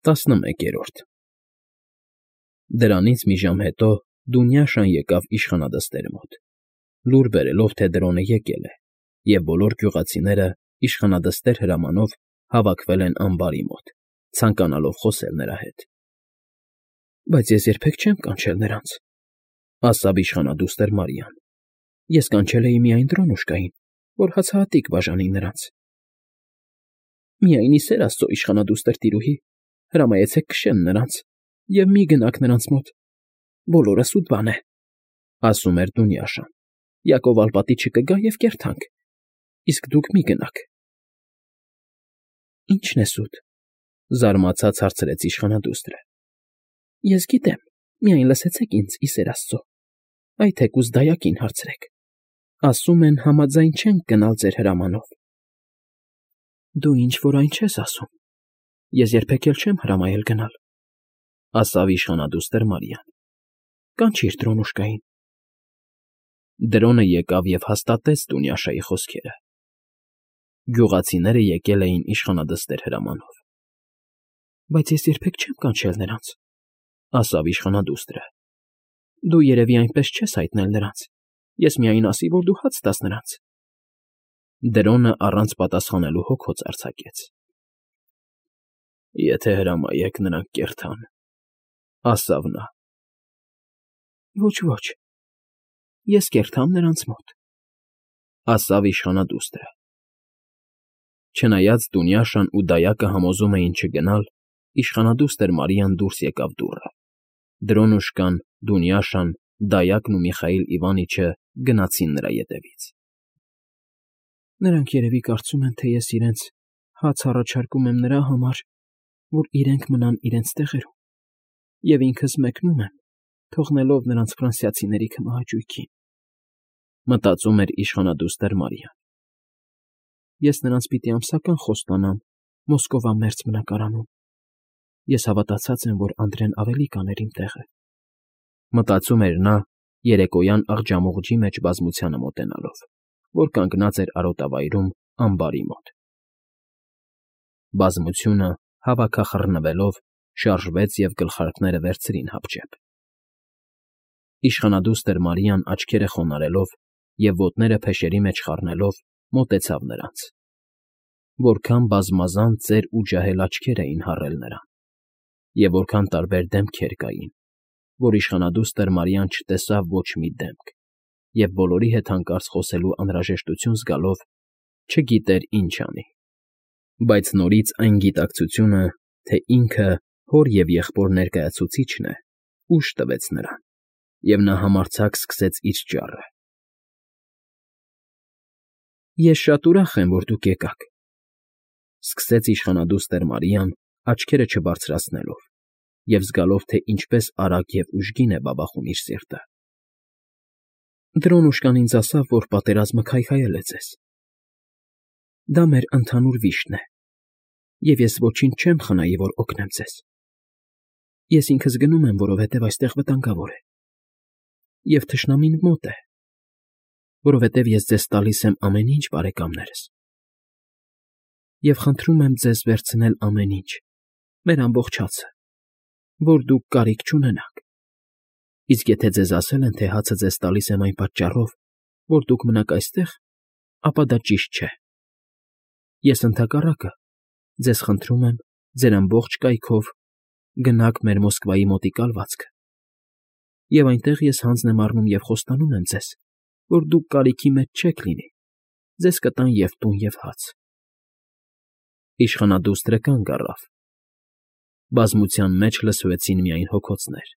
11-րդ Դրանից մի ժամ հետո Դունյաշան եկավ իշխանադստեր մոտ, լուր բերելով, թե Դրոնը եկել է, և բոլոր գյուղացիները իշխանադստեր հրամանով հավաքվել են ամբարի մոտ, ցանկանալով խոսել նրա հետ։ ֊ Բայց ես երբեք չեմ կանչել նրանց,֊ ասաց իշխանադուստր Մարիան։ Ես կանչել էի միայն Դրոնուշկային, որ հացահատիկ բաժանի նրանց։ ֊ Միայն ի սեր Աստծո, իշխանադուստր տիրուհի, հրամայեցեք քշել նրանց և մի գնաք նրանց մոտ, բոլորը սուտ բան է,֊ ասում էր Դունյաշան։ Յակով ալպատի չկգա և կերթանք, իսկ դուք մի գնաք։ ֊ Ի՞նչն է սուտ,֊ զարմացած հարցրեց իշխանադուստրը։ ֊ Ես գիտեմ, միայն լսեցեք ինձ, ի սեր Աստծո, այ թեկուզ դայակին հարցրեք, ասում են համաձայն չենք գնալ ձեր հրամանով։ ֊ Դու ինչ֊որ այն չես ասում, ես երբեք էլ չեմ հրամայել գնալ,֊ ասաց իշխանադուստր Մարիան։ Կանչիր Դրոնուշկային։ Դրոնը եկավ և հաստատեց Դունյաշայի խոսքերը։ Գյուղացիները եկել էին իշխանադստեր հրամանով։ ֊ Բայց ես երբեք չեմ կանչել նրանց,֊ ասաց իշխանադուստրը։ Դու երևի այնպես չես հայտնել նրանց, ես միայն ասի, որ դու հաց տաս նրանց։ Դրոնը առանց պատասխանելու հոգոց արձակեց։ ֊ Եթե հրամայեք, նրանք կերթան,֊ ասաց նա։ ֊ Ոչ, ես կերթամ նրանց մոտ,֊ ասաց իշխանադուստրը։ Չնայած Դունյաշան ու դայակը համոզում էին չգնալ, իշխանադուստր Մարիան դուրս եկավ դուռը։ Դրոնուշկան, Դունյաշան, դայակն ու Միխայիլ Իվանիչը գնացին նրա ետևից։ Նրանք երևի կարծում են, թե ես իրենց հաց առաջարկում եմ նրա համար, որ իրենք մնան իրենց տեղերում, և ինքս մեկնում եմ, թողնելով նրանց ֆրանսիացիների քմահաճույքին,֊ մտածում էր իշխանադուստր Մարիան։ Ես նրանց պիտի ամսական խոստանամ Մոսկովա մերձ բնակարանում։ Ես հավատացած եմ, որ Անդրեն ավելի կաներ իմ տեղը,֊ մտածում էր նա երեկոյան աղջամուղջի մեջ բազմությանը մոտենալով, որ կանգնած էր արոտավայրում ամբարի մոտ։ Բազմությունը, հավաքախռնվելով, շարժվեց և գլխարկները վերցրին հապճեպ։ Իշխանադուստր Մարիան աչքերը խոնարհելով և ոտները փեշերի մեջ խառնելով մոտեցավ նրանց։ Որքան բազմազան ծեր ու ջահել աչքեր էին հառել նրան, և որքան տարբեր դեմքեր կային, որ իշխանադուստր Մարիան չտեսավ ոչ մի դեմք և բոլորի հետ հանկարծ խոսելու անհրաժեշտություն զգալով չգիտեր ինչ անի։ Բայց նորից այն գիտակցությունը, թե ինքը հոր և եղբոր ներկայացուցիչն է, ուժ տվեց նրան, և նա համարձակ սկսեց իր ճառը։ Ես շատ ուրախ եմ, որ դուք եկաք,֊ սկսեց իշխանադուստր Մարիան, աչքերը չբարձրացնելով և զգալով, թե ինչպես արագ և ուժգին է բաբախում իր սիրտը։ Դրոնուշկան ինձ ասավ, որ պատերազմը քայքայել է ձեզ։ Դա մեր ընդհանուր վիշտն է, և ես ոչինչ չեմ խնայի, որ օգնեմ ձեզ։ Ես ինքս գնում եմ, որովհետև այստեղ վտանգավոր է, և թշնամին մոտ է, որովհետև ես ձեզ տալիս եմ ամեն ինչ, բարեկամներս, և խնդրում եմ ձեզ վերցնել ամեն ինչ, մեր ամբողջ հացը, որ դուք կարիք չունենաք։ Իսկ եթե ձեզ ասել են, թե հացը ձեզ տալիս եմ այն պատճառով, որ դուք մնաք այստեղ, ապա դա ճիշտ չէ։ Ես ընդհակառակը ձեզ խնդրում եմ ձեր ամբողջ կայքով գնաք մեր Մոսկվայի մոտի կալվածքը, և այնտեղ ես հանձն եմ առնում և խոստանում եմ ձեզ, որ դուք կարիքի մեջ չեք լինի, ձեզ կտան և տուն, և հաց։ Իշխանադուստրը կանգ առավ։ Բազմության մեջ լսվեցին միայն հոգոցներ։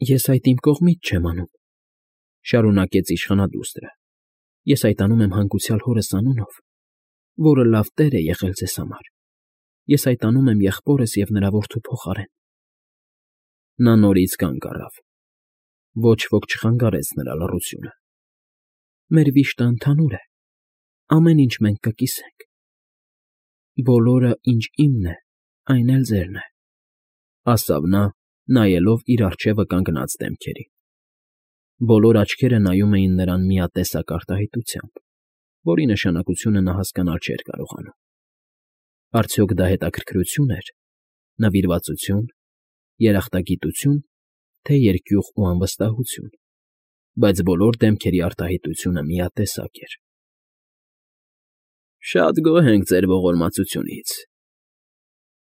Ես այդ իմ կողմից չեմ անում,֊ շարունակեց իշխանադուստրը։ Ես այդ անում եմ հանգուցյալ հորս անունով, որը լավ տեր է եղել ձեզ համար։ Ես այդ անում եմ եղբորս և նրա որդու փոխարեն։ Նա նորից կանգ առավ։ Ոչ ոք չխանգարեց նրա լռությունը։ Մեր վիշտը ընդհանուր է, ամեն ինչ մենք կկիսենք։ Բոլորը, ինչ իմն է, այն էլ ձերն է,֊ ասաց նա, նայելով իր առջևը կանգնած դեմքերին։ Բոլոր աչքերը նայում էին նրան միատեսակ արտահայտությամբ, որի նշանակությունը նա հասկանալ չէր կարողանում։ Արդյոք դա հետաքրքրություն էր, նվիրվածություն, երախտագիտություն, թե երկյուղ ու անվստահություն, բայց բոլոր դեմքերի արտահայտությունը միատեսակ էր։ Շատ գոհ ենք ձեր ողորմածությունից,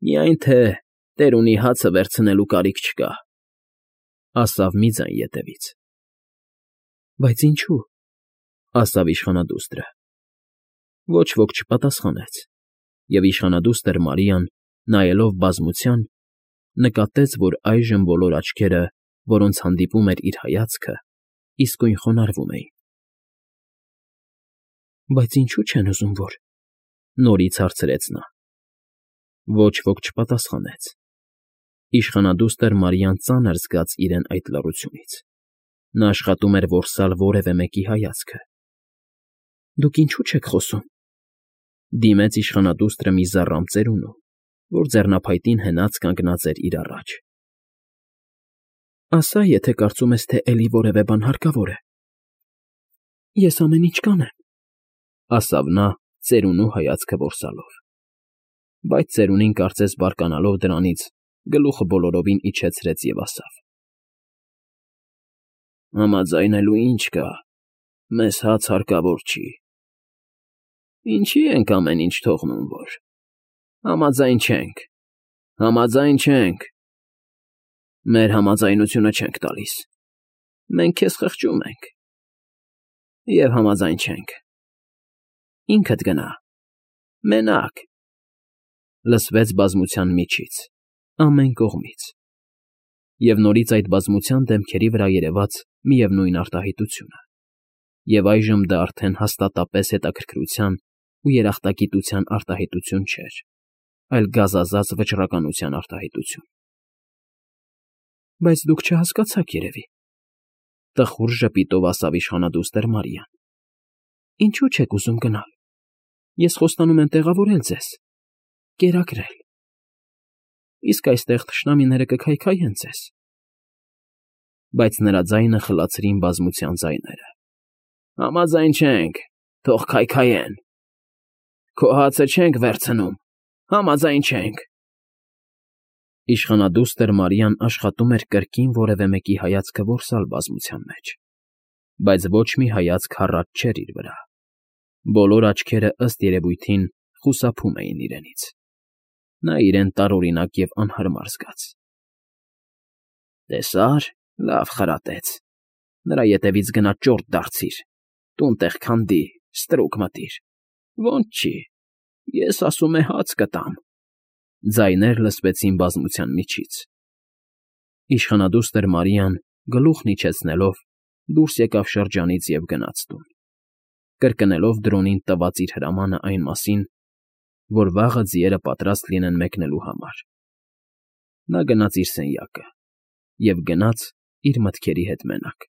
միայն թե տերունի հացը վերցնելու կարիք չկա, ասավ մի ձայն ետևից։ Բայց ինչու՞, ասավ իշխանադուստրը։ Ոչ ոք չպատասխանեց, և իշխանադուստր Մարիան, նայելով բազմության, նկատեց, որ այժմ բոլոր աչքերը, որոնց հանդիպում էր իր հայացքը, իսկույն խոնարհվում էին։ Բայց ինչու՞ չեն ուզում, որ… նորից հարցրեց նա։ Ոչ ոք չպատասխանեց։ Իշխանադուստր Մարիան ծանր զգաց իրեն այդ լռությունից։ Նա աշխատում էր որսալ որևէ մեկի հայացքը։ Դուք ինչու՞ չեք խոսում, դիմեց իշխանադուստրը մի զառամ ծերունու, որ ձեռնափայտին հենած կանգնած էր իր առաջ։ Ասա, եթե կարծում ես, թե էլի որևէ բան հարկավոր է։ Ես ամեն ինչ կանեմ, ասավ նա, ծերունու հայացքը որսալով։ Բայց ծերունին, կարծես բարկանալով դրանից, գլուխը բոլորովին իջեցրեց և ասավ. Համաձայնելու ինչ կա, մեզ հաց հարկավոր չի։ Ինչի ենք ամեն ինչ թողնում, որ… Համաձայն չենք, համաձայն չենք։ Մեր համաձայնությունը չենք տալիս, մենք քեզ խղճում ենք։ Եվ համաձայն չենք։ Ինքդ գնա, մենակ… Լսվեց բազմության միջից, ամեն կողմից, և նորից այդ բազմության դեմքերի վրա երևաց միևնույն արտահայտությունը, և այժմ դա արդեն հաստատապես հետաքրքրության ու երախտագիտության արտահայտություն չէր, այլ գազազած վճռականության արտահայտություն։ Բայց դուք չհասկացաք, երևի, տխուր ժպիտով ասավ իշխանադուստր Մարիան։ Ինչու՞ չեք ուզում գնալ։ Ես խոստանում եմ տեղավորել ձեզ, կերակրել։ Իսկ այստեղ թշնամիները կքայքայեն ձեզ։ Բայց նրա ձայնը խլացրին բազմության ձայները։ Համաձայն չենք, թող քայքայեն։ Քո հացը չենք վերցնում, համաձայն չենք։ Իշխանադուստր Մարիան աշխատում էր կրկին որևէ մեկի հայացքը որսալ բազմության մեջ, բայց ոչ մի հայացք հառաչ չէր իր վրա։ Բոլոր աչքերը, ըստ երևույթին, խուսափում էին իրենից։ Նա իրեն տարօրինակ և անհարմար զգաց։ Տեսա՞ր, լավ խրատեց։ Նրա ետևից գնա ճորտ դարձիր, տուն տեղ քանդի, ստրուկ մտիր։ Ոնց չի, ես ասում է հաց կտամ։ Ձայներ լսվեցին բազմության միջից։ Իշխանադուստր Մարիան, գլուխն իջեցնելով, դուրս եկավ շրջանից և գնաց տուն, կրկնելով Դրոնին տված իր հրամանը այն մասին, որ վաղը ձիերը պատրաստ լինեն մեկնելու համար։ Նա գնաց իր սենյակը և գնաց իր մտքերի հետ մենակ։